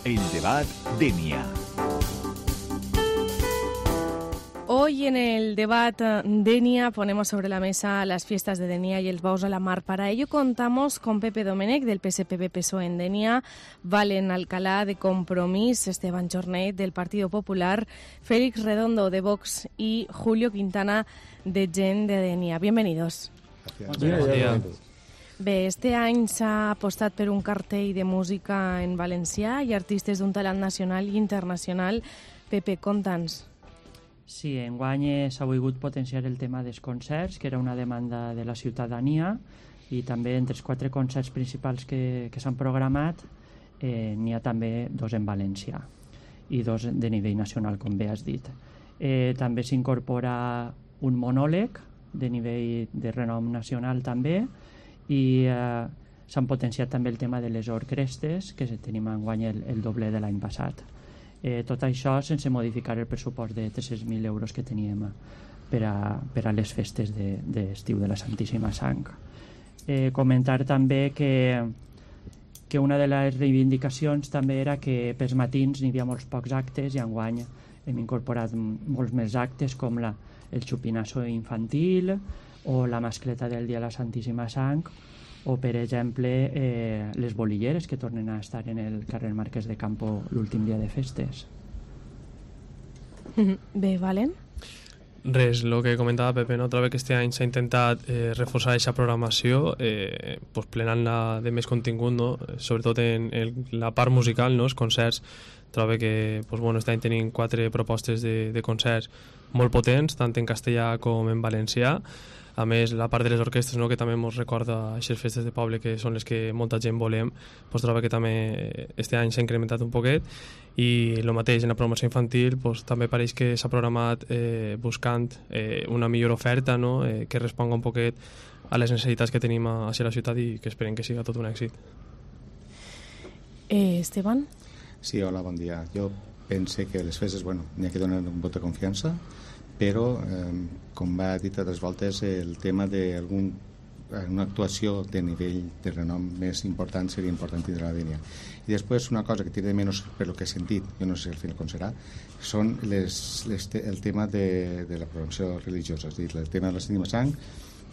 El Debat Denia. Hoy en el Debat Denia ponemos sobre la mesa las fiestas de Denia y el Bous a la Mar. Para ello contamos con Pepe Domènech del PSPB-PSOE en Denia, Valen Alcalá de Compromís, Esteban Jornet del Partido Popular, Félix Redondo de Vox y Julio Quintana de Gent de Denia. Bienvenidos. Gràcies. Bé, este any s'ha apostat per un cartell de música en valencià i artistes d'un talent nacional i internacional. Pepe, conta'ns. Sí, enguany s'ha volgut potenciar el tema dels concerts, que era una demanda de la ciutadania, i també entre els 4 concerts principals que s'han programat n'hi ha també 2 en valencià i 2 de nivell nacional, com bé has dit. També s'incorpora un monòleg de nivell de renom nacional també, i s'han potenciat també el tema de les orquestres, que tenim enguany el doble de l'any passat. Tot això sense modificar el pressupost de 300.000 euros que teníem per a les festes d'estiu de la Santíssima Sang. Comentar també que una de les reivindicacions també era que pels matins n'hi havia molts pocs actes, i enguany hem incorporat molts més actes, com el xupinasso infantil o la mascleta del dia de la Santíssima Sang, o per exemple les bolilleres que tornen a estar en el carrer Marquès de Campo l'últim dia de festes. Bé, Valen? Res, el que comentava Pepe, no? Trobo que este any s'ha intentat reforçar aquesta programació, plenant-la de més contingut, no? Sobretot en la part musical, no? Els concerts. Trobo que este any tenim 4 propostes de concerts molt potents, tant en castellà com en valencià. A més, la part de les orquestres, no? Que també ens recorda aquestes festes de poble que són les que molta gent volem, trobo que també este any s'ha incrementat un poquet, i el mateix en la programació infantil també pareix que s'ha programat buscant una millor oferta, no? Que responga un poquet a les necessitats que tenim a la ciutat, i que esperem que siga tot un èxit. Esteban? Sí, hola, bon dia. Jo pense que les festes, n'hi ha que donar un vot de confiança, però, com va dit altres voltes, el tema d'una actuació de nivell de renom més important seria important tindre la Denia. I després una cosa que tira de menys per lo que he sentit, jo no sé al final com serà, són el tema de la programació religiosa, és a dir, el tema de la Santíssima Sang,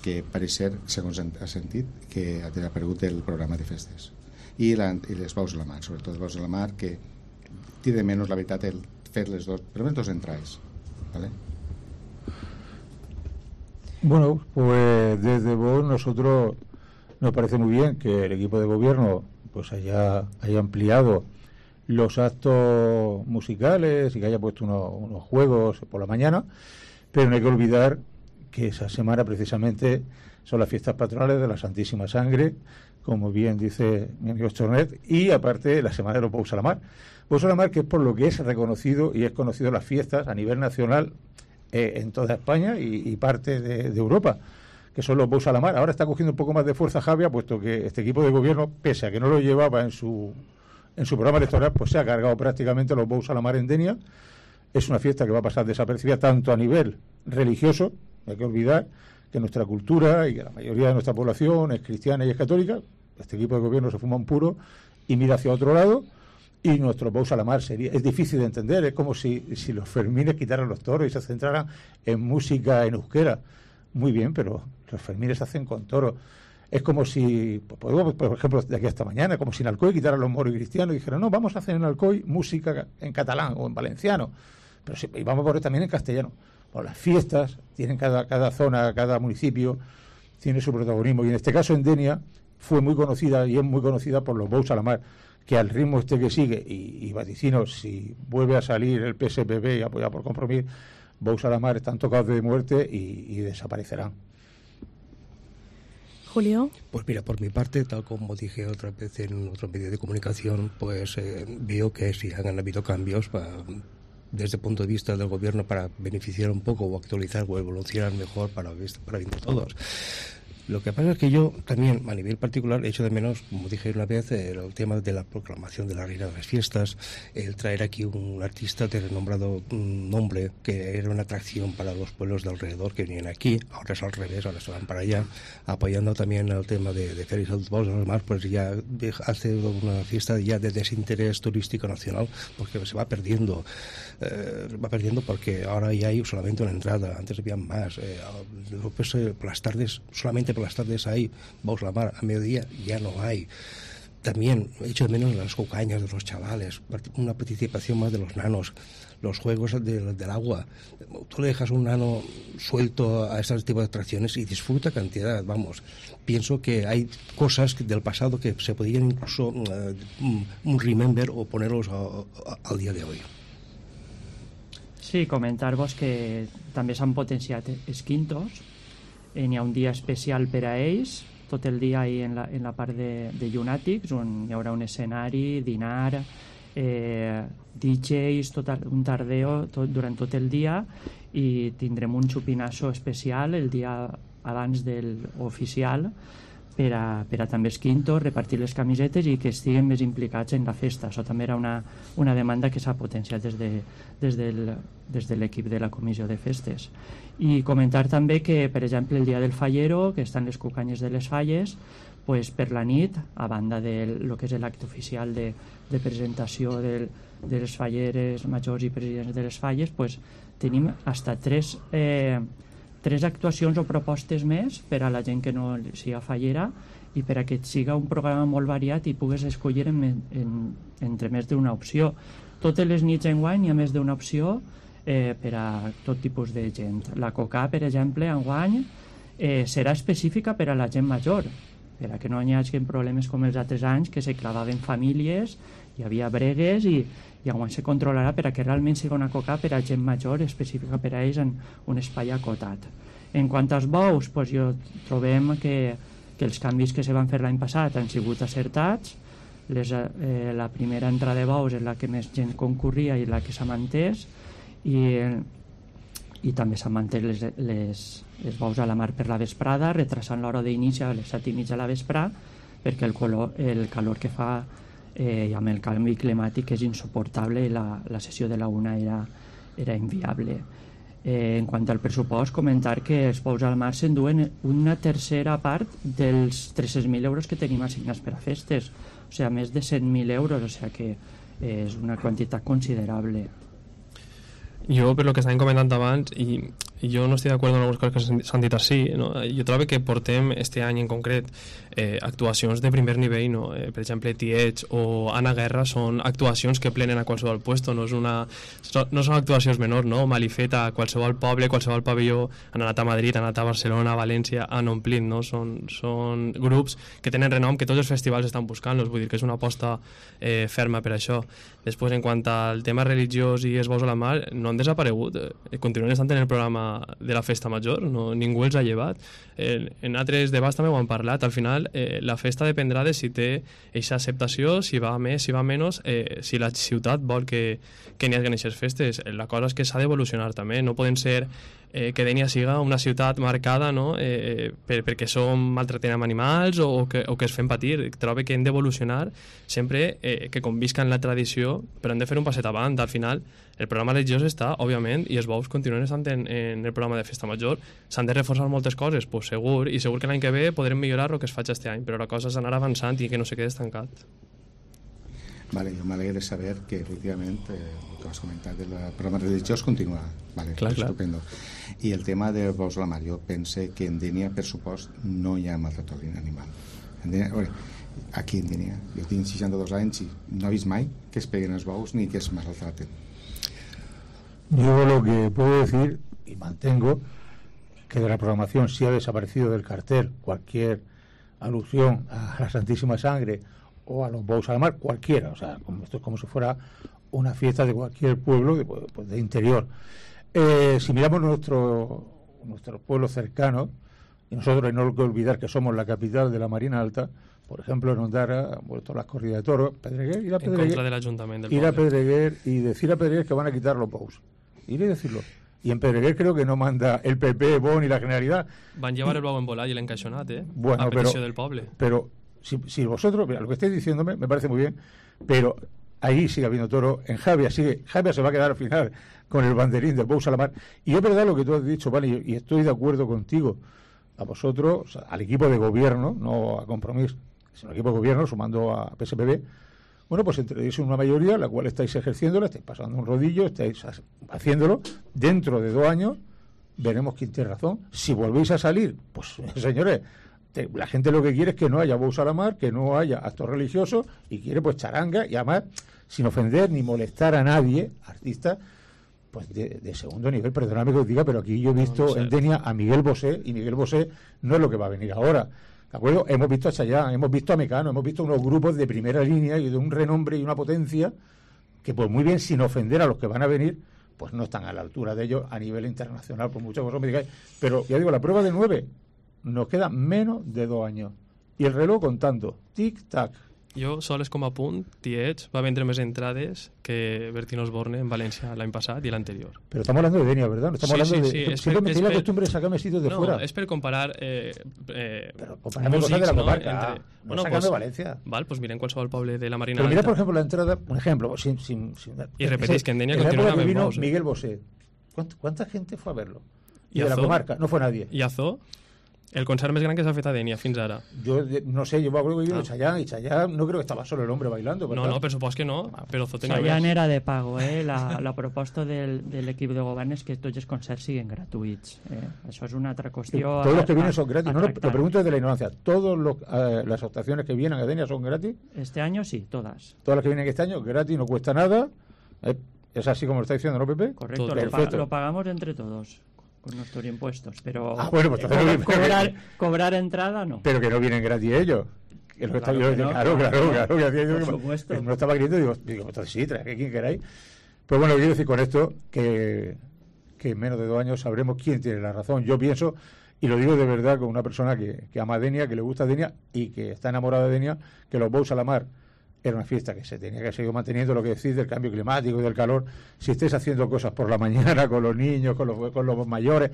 que pareix ser, segons ha sentit, que ha desaparegut del programa de festes. I les Bous a la Mar, sobretot les Bous a la Mar, que tira de menys, la veritat, el fer les dos, per almenys 2 entrades, ¿vale? Bueno, pues desde Vox nosotros nos parece muy bien que el equipo de gobierno haya ampliado los actos musicales y que haya puesto unos juegos por la mañana, pero no hay que olvidar que esa semana precisamente son las fiestas patronales de la Santísima Sangre, como bien dice mi amigo Jornet, y aparte la semana de los Bous a la Mar. Bous a la Mar, que es por lo que es reconocido y es conocido las fiestas a nivel nacional en toda España y parte de Europa, que son los Bous a la Mar. Ahora está cogiendo un poco más de fuerza Javia, puesto que este equipo de gobierno, pese a que no lo llevaba en su programa electoral, se ha cargado prácticamente los Bous a la Mar en Denia. Es una fiesta que va a pasar desapercibida tanto a nivel religioso, no hay que olvidar que nuestra cultura y que la mayoría de nuestra población es cristiana y es católica. Este equipo de gobierno se fuma un puro y mira hacia otro lado. Y nuestro Bous a la Mar es difícil de entender, es como si los Fermines quitaran los toros y se centraran en música en euskera. Muy bien, pero los Fermines se hacen con toros. Es como si, por ejemplo, de aquí hasta mañana, como si en Alcoy quitaran los moros y cristianos y dijeran, no, vamos a hacer en Alcoy música en catalán o en valenciano, pero sí, y vamos a poner también en castellano. Bueno, las fiestas tienen cada zona, cada municipio tiene su protagonismo, y en este caso en Denia fue muy conocida y es muy conocida por los Bous a la Mar, que al ritmo que sigue, y vaticino, si vuelve a salir el PSPB y apoyado por Compromís, Bous a la Mar están tocados de muerte y desaparecerán. Julio. Pues mira, por mi parte, tal como dije otra vez en otro medio de comunicación, veo que sí han habido cambios desde el punto de vista del gobierno para beneficiar un poco o actualizar o evolucionar mejor para bien de todos. Lo que pasa es que yo también, a nivel particular, echo de menos, como dije una vez, el tema de la proclamación de la reina de las fiestas, el traer aquí un artista de renombrado nombre, que era una atracción para los pueblos de alrededor que venían aquí. Ahora es al revés, ahora se van para allá, apoyando también el tema de Félix del Bous, además, pues ya hace una fiesta ya de desinterés turístico nacional, porque se va perdiendo porque ahora ya hay solamente una entrada, antes había más, pues, por las tardes, solamente por las tardes hay Bous la Mar, a mediodía ya no hay. También echo de menos las cucañas de los chavales, una participación más de los nanos, los juegos del agua. Tú le dejas un nano suelto a este tipo de atracciones y disfruta cantidad, vamos. Pienso que hay cosas del pasado que se podrían incluso un remember o ponerlos al día de hoy. Sí, comentar-vos que també s'han potenciat els quintos. N'hi ha un dia especial per a ells, tot el dia ahí en la part de llunàtics, on hi haurà un escenari, dinar, DJs, un tardeo durant tot el dia, i tindrem un xupinasso especial el dia abans del oficial per a també els quintos, repartir les camisetes i que estiguen més implicats en la festa. Això també era una demanda que s'ha potenciat des de l'equip de la comissió de festes. I comentar també que, per exemple, el dia del fallero, que estan les cucanyes de les falles, pues, per la nit, a banda de lo que és l'acte oficial de presentació de les falleres majors i presidents de les falles, pues, tenim hasta tres actuacions o propostes més per a la gent que no siga fallera i per a que siga un programa molt variat i pugues escollir entre més d'una opció. Totes les nits enguany hi ha més d'una opció per a tot tipus de gent. La Coca, per exemple, enguany serà específica per a la gent major, per a que no hi hagi problemes com els altres anys, que se clavaven famílies, hi havia bregues i enguany se controlarà per a que realment sigui una Coca per a gent major, específica per a ells en un espai acotat. En quant als bous, pues, trobem que els canvis que se van fer l'any passat han sigut acertats. La primera entrada de bous és la que més gent concurria i la que s'ha mantès, i també s'han mantès els bous a la mar per la vesprada, retrasant l'hora d'inici a les 7:30 a la vesprà, perquè el calor que fa i amb el canvi climàtic és insuportable i la sessió de la una era inviable. En quant al pressupost, comentar que els bous al mar s'enduen una tercera part dels 300.000 euros que tenim assignats per a festes, o sigui, més de 100.000 euros, o sigui que és una quantitat considerable. Jo, per lo que estàvem comentant abans, i jo no estic d'acord amb algunes coses que s'han dit així, no? Jo trobo que portem este any en concret actuacions de primer nivell, no? Per exemple, Tiets o Anna Guerra són actuacions que plenen a qualsevol puesto, no són actuacions menors, no? Malifeta, qualsevol poble, qualsevol pavelló, han anat a Madrid, han anat a Barcelona, a València, han omplit, no? Són grups que tenen renom, que tots els festivals estan buscant-los, vull dir que és una aposta ferma per això. Després, en quant al tema religiós i els bous a la mar, no han desaparegut, continuen estant en el programa de la festa major, ningú els ha llevat. En altres debats també ho han parlat. Al final la festa dependrà de si té aquesta acceptació, si va més, si va menys, si la ciutat vol que n'hi hagi aquestes festes. La cosa és que s'ha d'evolucionar també, no poden ser que Dénia siga una ciutat marcada, no? Perquè som maltratem amb animals o que es fem patir. Trobo que hem d'evolucionar sempre que convisquen la tradició, però hem de fer un passet avant. Al final el programa religiós està, òbviament, i els bous continuen estant en el programa de festa major. S'han de reforçar moltes coses, pues segur, i segur que l'any que ve podrem millorar el que es faig este any, però la cosa és anar avançant i que no se quede estancat. Vale, jo m'alegra saber que efectivament el que has comentat del programa religiós continua. Vale, clar. Estupendo. I el tema de bous a la mar, jo pense que en Dénia, per supost, no hi ha maltractament animal. Aquí en Dénia, jo tinc 62 anys i no he vist mai que es peguen els bous ni que es maltraten. Yo lo que puedo decir, y mantengo, que de la programación sí ha desaparecido del cartel cualquier alusión a la Santísima Sangre o a los bous a la mar, cualquiera, o sea, esto es como si fuera una fiesta de cualquier pueblo de interior. Si miramos nuestros pueblos cercanos, y nosotros no hay que olvidar que somos la capital de la Marina Alta, por ejemplo, en Ondara han vuelto las corridas de toros, Pedreguer, ir a Pedreguer, en contra del ayuntamiento del ir a Pedreguer y decir a Pedreguer que van a quitar los bous. Ir y decirlo. y en Pedreguer creo que no manda el PP, Bon y la Generalidad. Van llevar el blau en volar y l'encaixonat, Bueno, a petició del poble. Pero si vosotros, mira, lo que estáis diciéndome me parece muy bien, pero ahí sigue habiendo toro, en Javia se va a quedar al final con el banderín del Bous a la Mar. Y es verdad lo que tú has dicho, vale, y estoy de acuerdo contigo. A vosotros, o sea, al equipo de gobierno, no a Compromís, sino al equipo de gobierno, sumando a PSPB, bueno, pues entréis en una mayoría, la cual estáis ejerciéndola, estáis pasando un rodillo, estáis haciéndolo. Dentro de 2 años veremos quién tiene razón. Si volvéis a salir, pues señores, la gente lo que quiere es que no haya Bous a la Mar, que no haya actos religiosos, y quiere pues charanga, y además sin ofender ni molestar a nadie, artistas pues de segundo nivel. Perdóname que os diga, pero aquí yo he visto en Denia a Miguel Bosé, y Miguel Bosé no es lo que va a venir ahora, ¿de acuerdo? Hemos visto a Chayanne, hemos visto a Mecano, hemos visto unos grupos de primera línea y de un renombre y una potencia que pues muy bien, sin ofender a los que van a venir, pues no están a la altura de ellos a nivel internacional, por mucho que vosotros me digáis. Pero ya digo, la prueba de 9 nos queda menos de 2 años y el reloj contando, tic-tac. Jo, sols com a punt, Tietz va vendre més entrades que Bertín Osborne en València l'any passat i l'anterior. Pero estamos hablando de Denia, ¿verdad? No estamos hablando de... Siempre me la costumbre de sacarme sitios de fuera. No, és per comparar pero comparame cosas de la comarca. No sacando Valencia. Val, pues miren qualsevol poble de la Marina Pero mira, Alta. por ejemplo, la entrada, un ejemplo, Y repetís que en Denia continúa la vino Bous. Miguel Bosé. ¿Cuánta gente fue a verlo? Y ¿Y de la Azó? comarca, no fue nadie. I Azó, el concert més gran que s'ha fet a Denia fins ara. Yo no sé, yo me acuerdo que vino Chayanne, y Chayanne no creo que estaba solo el hombre bailando. No, no, per supost que no, però Azó tenia Chayanne més. era de pago, la proposta de l'equip de govern és que tots els concerts siguin gratuïts. Això és una altra qüestió. Todos los que vienen son gratis. a No, lo tractar. pregunto desde la ignorancia. ¿Todas las actuaciones que vienen a Denia son gratis? Este año sí, todas. Todas las que vienen este año, gratis, no cuesta nada. Es así como lo está diciendo, ¿no, Pepe? Correcto, Todo. Perfecto. lo pagamos entre todos con nuestros impuestos, pero Bueno, pues entonces cobrar entrada no. pero que no vienen gratis ellos. Que es lo que Claro está- que no, claro, claro, que hacía yo por que supuesto. no estaba queriendo, digo, entonces sí, trae quien queráis. Pues bueno, quiero decir con esto que en menos de 2 años sabremos quién tiene la razón. Yo pienso, y lo digo de verdad con una persona que ama Denia, que le gusta Denia y que está enamorada de Denia, que los Bous a la Mar era una fiesta que se tenía que seguir manteniendo, lo que decís del cambio climático y del calor. Si estáis haciendo cosas por la mañana con los niños, con los mayores,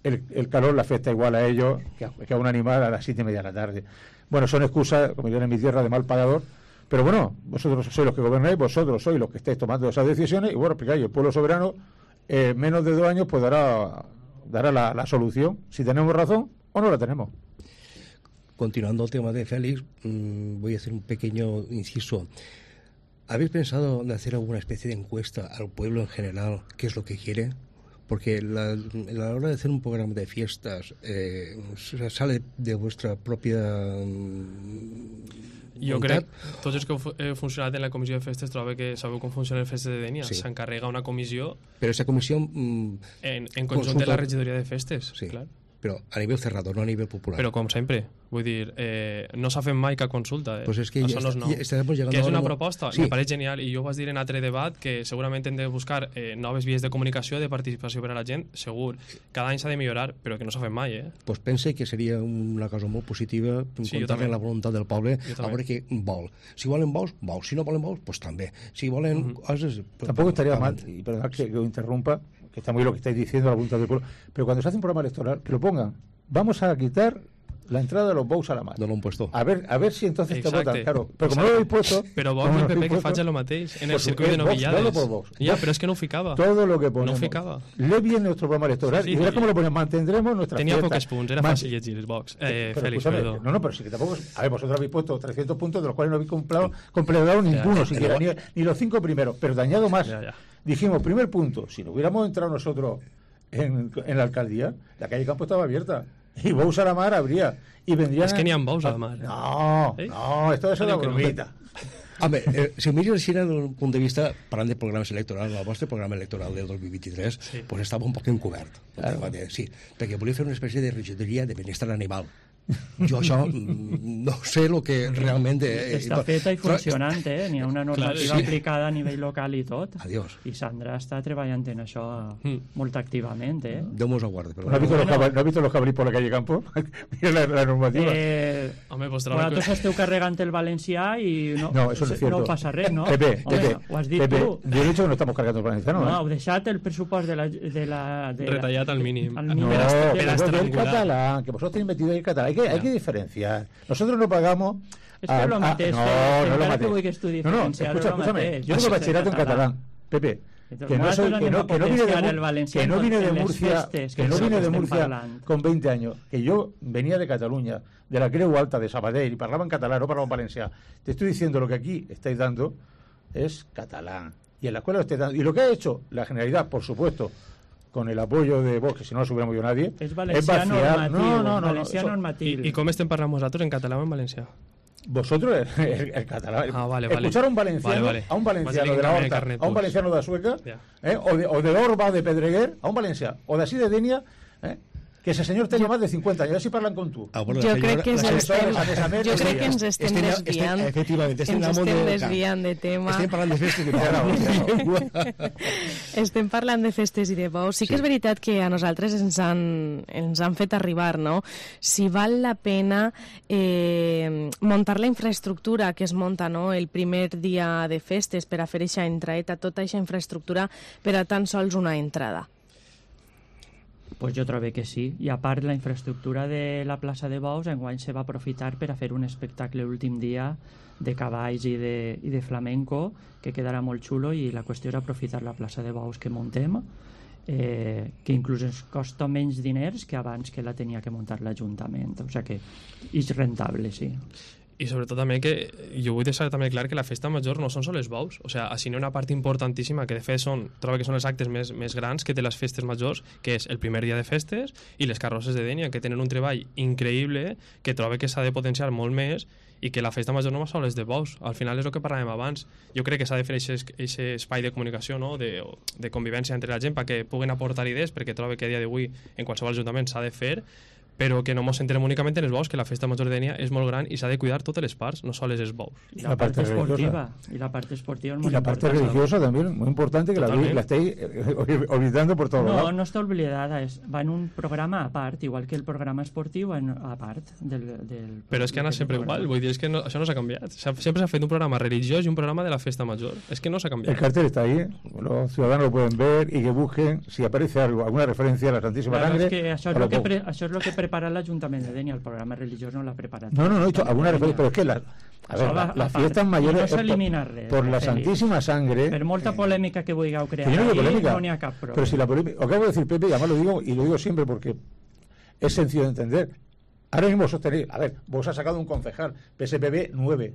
el calor le afecta igual a ellos que a un animal a las 7:30 de la tarde. Bueno, son excusas, como yo en mi tierra, de mal pagador, pero bueno, vosotros sois los que gobernáis, vosotros sois los que estáis tomando esas decisiones, y bueno, explicáis, el pueblo soberano, menos de 2 años, pues dará la solución, si tenemos razón o no la tenemos. Continuando el tema de Félix, voy a hacer un pequeño inciso. ¿Habéis pensado en hacer alguna especie de encuesta al pueblo en general? ¿Qué es lo que quiere? Porque a la hora de hacer un programa de fiestas sale de vuestra propia Jo voluntat. crec, tots els que heu funcionat en la comissió de festes, trobo que sabeu com funcionen les festes de Denia. Sí. S'encarrega una comissió Pero esa comisión... en conjunt de la regidoria de festes. Sí, Clar. pero a nivel cerrado, no a nivel popular. Però com sempre, vull dir, no s'ha fet mai cap consulta. Pues es que Això no és nou. estamos llegando Que és ahora una a proposta, Sí. me pareix genial, i jo ho vas dir en altre debat, que segurament hem de buscar noves vies de comunicació, de participació per a la gent, segur. Cada any s'ha de millorar, però que no s'ha fet mai, Pues pense que seria una cosa molt positiva Sí, jo contar-li també. la voluntat del poble Jo a també. veure què vol. Si volen bous, bous. Si no volen bous, pues també. Si volen coses... pues, Tampoco estaría paguen. mal, y perdonad que os interrumpa, que está muy bien lo que estáis diciendo, la voluntad del pueblo, pero cuando se hace un programa electoral, que lo pongan, vamos a quitar la entrada de los Bous a la Mar. No l'han puesto. A ver si entonces Exacte. te votan, claro. Pero como no lo habéis puesto... Però como Vox i no el lo PP habéis que puesto, facin el mateix en el pues, circuit de Vox, novillades. dalo por Vox. Ja, Vox. però és que no ho ficava. Todo lo que ponemos. No ficaba. Lee bien nuestro programa electoral Sí, y verás sí. cómo lo ponemos. Mantendremos nuestra Tenia fiesta. pocs punts, era fàcil llegir els Vox. Pero Félix, escúchame, perdó. no, pero sí que tampoco... A ver, vosotros habéis puesto 300 puntos, de los cuales no habéis completado ninguno, siquiera, ni los 5 primeros. Pero te añado más. Ya. Dijimos, primer punto, si no hubiéramos entrado nosotros en la alcaldía, la calle Campo estaba abierta. Y Bous a la Mar habría. Y vendrían... És que n'hi ha Bous a la Mar. No, no, esto es una Diu que no. bromita. Home, si ho mires així des d'un punt de vista, parlant de programes electorals, el vostre programa electoral del 2023 Sí. pues estava un poc encobert. Claro. Sí, perquè volia fer una espècie de regidoria de benestar animal. Jo això no sé el que realment... Està feta i funcionant, n'hi ha una normativa aplicada a nivell local i tot. Adiós. I Sandra està treballant en això molt activament, Déu mos aguarde. ¿No has visto los cabrits por la calle Campo? Mira la normativa. Home, vosaltres esteu carregant el valencià i no eso no es cierto. No passa res, no? Pepe, ho has dit Pepe, tu. yo he dicho que no estamos cargando el valenciano. No, heu deixat el pressupost de la retallat al mínim. No, el catalán, que vosotros tenéis metido ahí el catalán. Hay que diferenciar. Nosotros no pagamos... Es que lo mateix. No lo que vull que estudie diferenciar. Escúchame, yo tengo bachillerato en catalán, Pepe. Que no vine de Murcia con 20 años, que yo venía de Cataluña, de la Creu Alta, de Sabadell, y parlaba en catalán, no parlaba en valencià. Te estoy diciendo lo que aquí estáis dando es catalán. Y en la escuela lo estáis dando. Y lo que ha hecho la Generalidad, por supuesto, con el apoyo de Vox, que si no lo hubiera movido nadie, es valencià normatiu. Valencià normatiu. ¿Y cómo estén parlant vosaltres en catalán o en valencià? Vosotros el catalán. Vale. Escuchar a un valenciano, a un valenciano de la Horta, a un valenciano de la Sueca, o de Orba, de Pedreguer, a un valencià, o de así de Denia, que ese señor tenga más de 50 años, así parlan con tú. Jo crec que ens estem desviant. Efectivament, ens estem desviant de tema. Estem parlant de festes i de bous. Estem parlant de festes i de bous. Sí que és veritat que a nosaltres ens han fet arribar, no? Si val la pena muntar la infraestructura que es munta, no?, el primer dia de festes per a fer eixa entraeta, tota eixa infraestructura per a tan sols una entrada. Pues jo trobo que sí, i a part la infraestructura de la plaça de Bous enguany se va aprofitar per a fer un espectacle l'últim dia de cavalls i de flamenco que quedarà molt xulo, i la qüestió era aprofitar la plaça de Bous que muntem, que inclús ens costa menys diners que abans que la tenia que muntar l'Ajuntament, o sigui que és rentable, sí. I sobretot també que jo vull deixar també clar que la festa major no són sols els bous, o sigui, així n'hi ha una part importantíssima que de fet trobo que són els actes més grans que té les festes majors, que és el primer dia de festes i les carrosses de Dénia, que tenen un treball increïble que trobo que s'ha de potenciar molt més, i que la festa major no va sols de bous, al final és el que parlàvem abans. Jo crec que s'ha de fer aquest espai de comunicació, no?, de convivència entre la gent perquè puguen aportar idees, perquè trobo que a dia d'avui en qualsevol ajuntament s'ha de fer, però que no ens centrem únicament en els bous, que la festa major de Dénia és molt gran i s'ha de cuidar totes les parts, no sols els bous. I la parte esportiva. Y la parte esportiva es muy la parte religiosa también, muy importante, que la estáis olvidando por todo. No està oblidada, va en un programa a part, igual que el programa esportiu a part del però és que anat sempre igual, vull dir, és que això no s'ha canviat. Sempre s'ha fet un programa religiós i un programa de la festa major. És que no s'ha canviat. El cartel está ahí, los ciudadanos lo pueden ver y que busquen si aparece algo, alguna referencia a la Santísima Sangre. Això és lo que prepara l'Ajuntament de Dénia, el programa religiós no l'ha preparat. No, he dicho alguna referencia, pero es que las fiestas mayores no s'elimina res, por la Santísima Sangre. Per molta polèmica que vulgueu crear, no n'hi ha cap problema. Pero si la polémica, acabo de decir, Pepe, y además lo digo, y lo digo siempre porque es sencillo de entender. Ahora mismo sostenéis, a ver, vos has sacado un concejal, PSPB 9,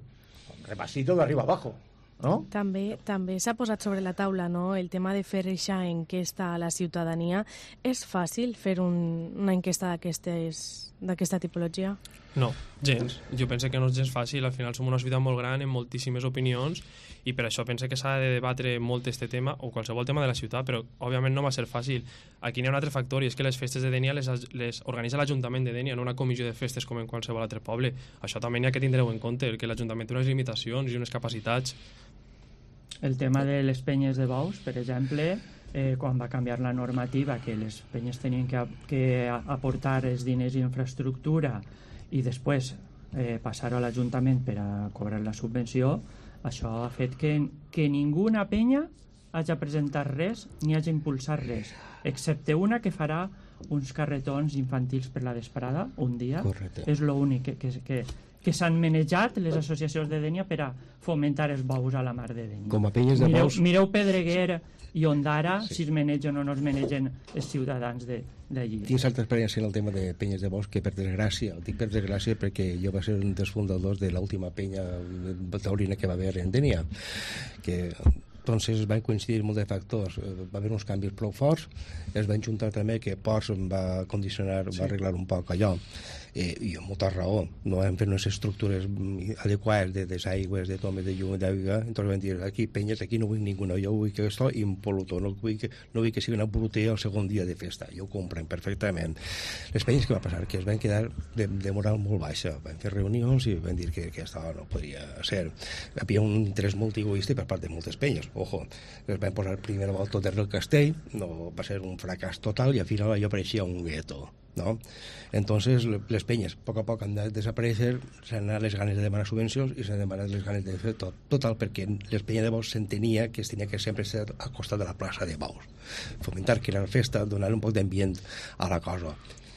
repasito de arriba abajo, no? També s'ha posat sobre la taula, no?, el tema de fer aquesta enquesta a la ciutadania. És fàcil fer una enquesta d'aquesta tipologia? No, gens. Jo penso que no és gens fàcil. Al final som una ciutat molt gran, amb moltíssimes opinions, i per això penso que s'ha de debatre molt este tema, o qualsevol tema de la ciutat, però òbviament no va ser fàcil. Aquí n'hi ha un altre factor, i és que les festes de Dénia les organitza l'Ajuntament de Dénia, no una comissió de festes com en qualsevol altre poble. Això també n'hi ha que tindreu en compte, que l'Ajuntament té unes limitacions i unes capacitats. El tema de les penyes de bous, per exemple, quan va canviar la normativa, que les penyes tenien que aportar els diners i infraestructura i després passar-ho a l'Ajuntament per a cobrar la subvenció, això ha fet que ninguna penya hagi presentat res ni hagi impulsat res, excepte una que farà uns carretons infantils per la vesprada, un dia. Correcte. És l'únic que s'han manejat les associacions de Dénia per a fomentar els bous a la mar de Dénia. Com a penyes de bous... Mireu Pedreguer i Ondara, si es manegen o no es manegen els ciutadans d'allí. Tinc altra experiència en el tema de penyes de bous que, per desgràcia, dic per desgràcia perquè jo va ser un dels fundadors de l'última penya taurina que va haver en Dénia, que entonces van coincidir molt de factors. Va haver uns canvis prou forts, es van juntar també que Ports va condicionar, va arreglar un poc allò. i amb molta raó, no hem fet unes estructures adequades de desaigües, de tomes de llum, d'aigua, entonces vam dir, aquí penyes, aquí no vull ningú, jo vull que esto impoluto, no vull que sigui una brutella el segon dia de festa, jo ho compren perfectament. Les penyes, què va passar? Que es van quedar de moral molt baixa, van fer reunions i van dir que això no podria ser. Hi havia un interès molt egoista per part de moltes penyes, ojo, es van posar primer al tot del castell, no va ser un fracàs total i al final allò pareixia un gueto, ¿no? Entonces les penyes a poc han de desaparèixer, s'han anat les ganes de demanar subvencions i s'han demanat les ganes de fer tot, total perquè les penyes de Baus s'entenia que es tenia que sempre ser al costat de la plaça de Baus, fomentar que era la festa, donar un poc d'ambient a la cosa.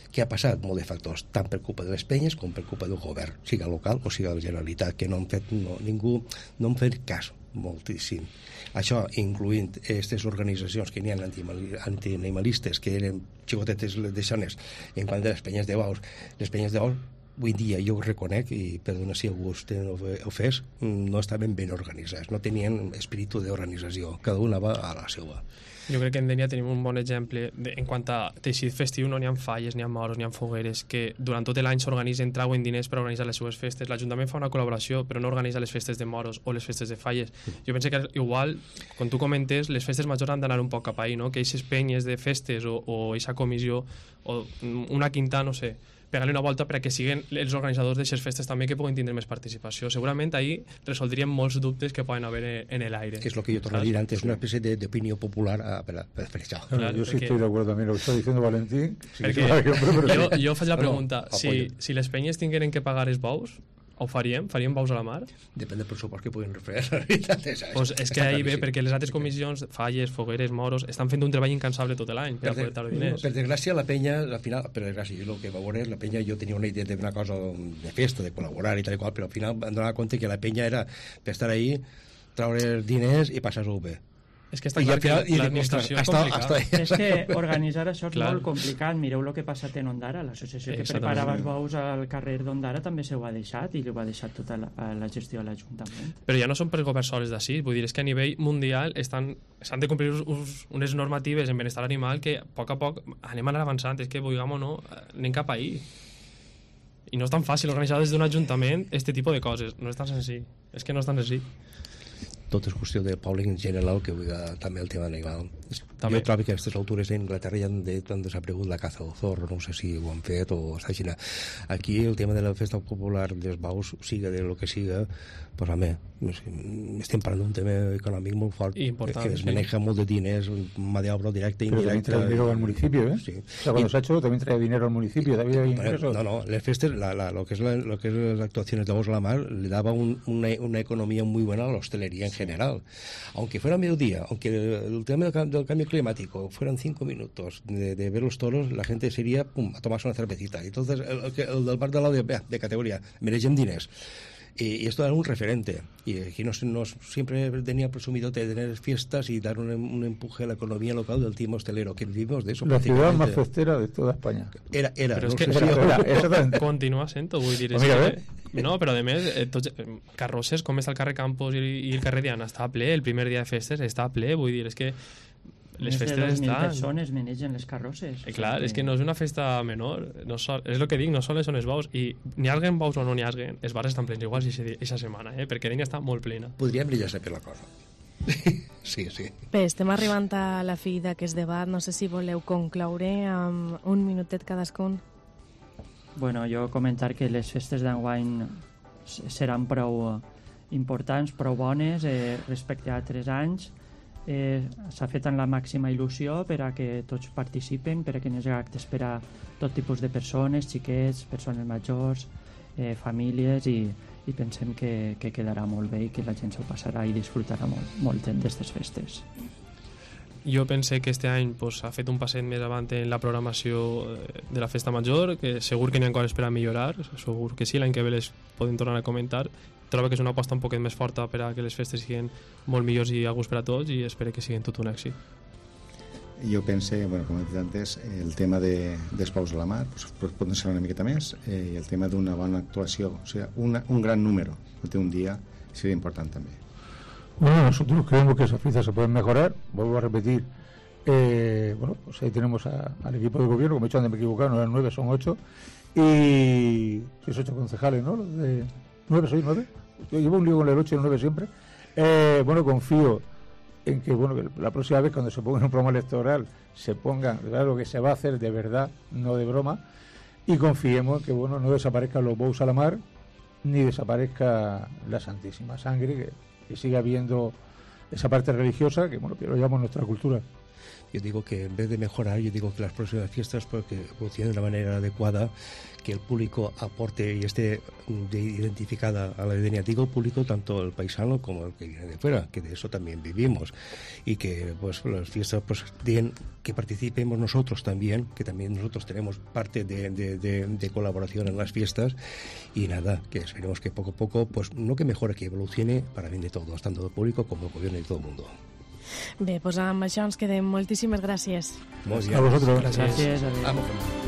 Què ha passat? Molt de factors, tant per culpa de les penyes com per culpa del govern, siga local o siga de la Generalitat, que no han fet ningú no han fet cas moltíssim. Això incloent aquestes organitzacions que n'hi ha antianimalistes, que eren xicotetes deixones en quant a les penyes de Baus. Les penyes de Baus, avui dia, jo ho reconec, i perdona si algú ho fes, no estaven ben organitzats, no tenien espíritu d'organització, cada una va a la seva. Jo crec que en Dénia tenim un bon exemple en quant a teixit festiu, no n'hi ha falles, n'hi ha moros, n'hi ha fogueres, que durant tot l'any s'organitzen, trauen diners per organitzar les seues festes. L'Ajuntament fa una col·laboració, però no organitza les festes de moros o les festes de falles. Jo penso que igual, quan tu comentes, les festes majors han d'anar un poc cap ahí, no? Que aquestes penyes de festes o aquesta comissió o una quinta, no sé, pegar-li una volta perquè siguin els organitzadors d'aquestes festes també que puguin tindre més participació. Segurament ahí resoldríem molts dubtes que poden haver en l'aire. Que es lo que yo torno a decir antes, una especie de opinión popular per això. Claro, yo sí estoy de acuerdo también lo que está diciendo Valentín. Jo faig la pregunta, si les penyes tingueren que pagar els bous, ho faríem? Faríem baus a la mar? Depèn del pressupost que puguin refer. La veritat és que ahí ve, perquè les altres comissions, falles, fogueres, moros, estan fent un treball incansable tot l'any per aportar els diners. Per desgràcia, la penya, al final, per desgràcia, el que va veure, la penya, jo tenia una idea d'una cosa de festa, de col·laborar i tal i qual, però al final em donava compte que la penya era per estar ahí, treure diners i passar-ho bé. És que està clar que l'administració és complicada. És que organitzar això és molt complicat. Mireu el que ha passat en Ondara. L'associació que preparava els bous al carrer d'Ondara també s'ho ha deixat i ho ha deixat tota la gestió a l'Ajuntament. Però ja no són per governs sols d'ací. Vull dir, és que a nivell mundial s'han de complir unes normatives en benestar animal que a poc anem anar avançant. És que, vulguem o no, anem cap ahí. I no és tan fàcil organitzar des d'un ajuntament aquest tipus de coses. No és tan senzill. És que no és tan senzill. Tot és qüestió del públic en general, que també el tema animal. Jo trobo que a aquestes altures d'Anglaterra ja han desaparegut la caza del zorro, no sé si ho han fet o està així. Aquí el tema de la festa popular dels baus, siga de lo que siga, pues home, estem parlant d'un tema econòmic molt fort, que es maneja molt de diners, mà d'obra directa i indirecta. Pero también trae dinero al municipio, ¿eh? Sí. O sea, cuando se ha hecho también trae dinero al municipio, también hay ingresos. No, las fiestas, lo que es las actuaciones de Baus a la Mar, le daba una economía muy buena a la hostelería en general. Aunque fuera mediodía, aunque el tema del cambio climático fueran 5 minutos de ver los toros, la gente se iría a tomarse una cervecita. Entonces, el del bar de lado de categoría, mereixem diners. Y esto era un referente. Y aquí no siempre tenía presumido tener fiestas y dar un empuje a la economía local del tema hostelero, que vivimos de eso. La ciudad más festera de toda España. Era. Però no és que continua sent-ho, vull dir. No, però a més, carrosses, com està el carrer Campos i el carrer Diana, està ple, el primer dia de festes està ple, vull dir, és que les festes estan... Més de 2.000 estan... persones manegen les carrosses. Clar, és que no és una festa menor, és el que dic, no sols són els baus, i n'hi haguen baus o no n'hi haguen, els bars estan plens igual aquesta setmana, perquè Dénia està molt plena. Podríem brillar-se per la cosa. Sí. Bé, estem arribant a la fi d'aquest debat, no sé si voleu concloure amb un minutet cadascun. Bueno, jo comentar que les festes d'enguany seran prou importants, prou bones respecte a 3 anys. S'ha fet amb la màxima il·lusió per a que tots participen, per a que n'hi hagi actes per a tot tipus de persones, xiquets, persones majors, famílies, i pensem que quedarà molt bé i que la gent s'ho passarà i disfrutarà molt d'aquestes festes. Jo pense que este any ha fet un passet més avant en la programació de la festa major, que segur que n'hi ha coses per a millorar, segur que sí, l'any que ve les podem tornar a comentar. Trobo que és una aposta un poquet més forta per a que les festes siguin molt millors i a gust per a tots, i espero que siguin tot un èxit. Jo pense, com he dit antes, el tema dels baus a la mar pot ser una miqueta més, i el tema d'una bona actuació, o sigui, un gran número d'un dia seria important també. Bueno, nosotros creemos que esas fiestas se pueden mejorar. Vuelvo a repetir, Bueno, pues ahí tenemos al equipo de gobierno, como he dicho antes, me he equivocado, no eran 9, son 8. Y 8 concejales, ¿no? Los de 9, soy 9. Yo llevo un lío con el 8 y el 9 siempre. Bueno, confío en que, bueno, que la próxima vez cuando se ponga en un programa electoral se pongan, claro, que se va a hacer de verdad, no de broma, y confiemos que, bueno, no desaparezcan los bous a la mar, ni desaparezca la Santísima Sangre, que siga habiendo esa parte religiosa que, bueno, que lo llamamos nuestra cultura. Yo digo que en vez de mejorar, yo digo que las próximas fiestas, porque evolucionen de la manera adecuada, que el público aporte y esté identificada a la Denia. Digo público tanto el paisano como el que viene de fuera, que de eso también vivimos, y que pues las fiestas pues den, que participemos nosotros también, que también nosotros tenemos parte de colaboración en las fiestas, y nada, que esperemos que poco a poco, pues no que mejore, que evolucione para bien de todos, tanto del público como del gobierno y de todo el mundo. Bé, doncs amb això ens quedem. Moltíssimes gràcies. Molts a vosotros. Gràcies. Vamos.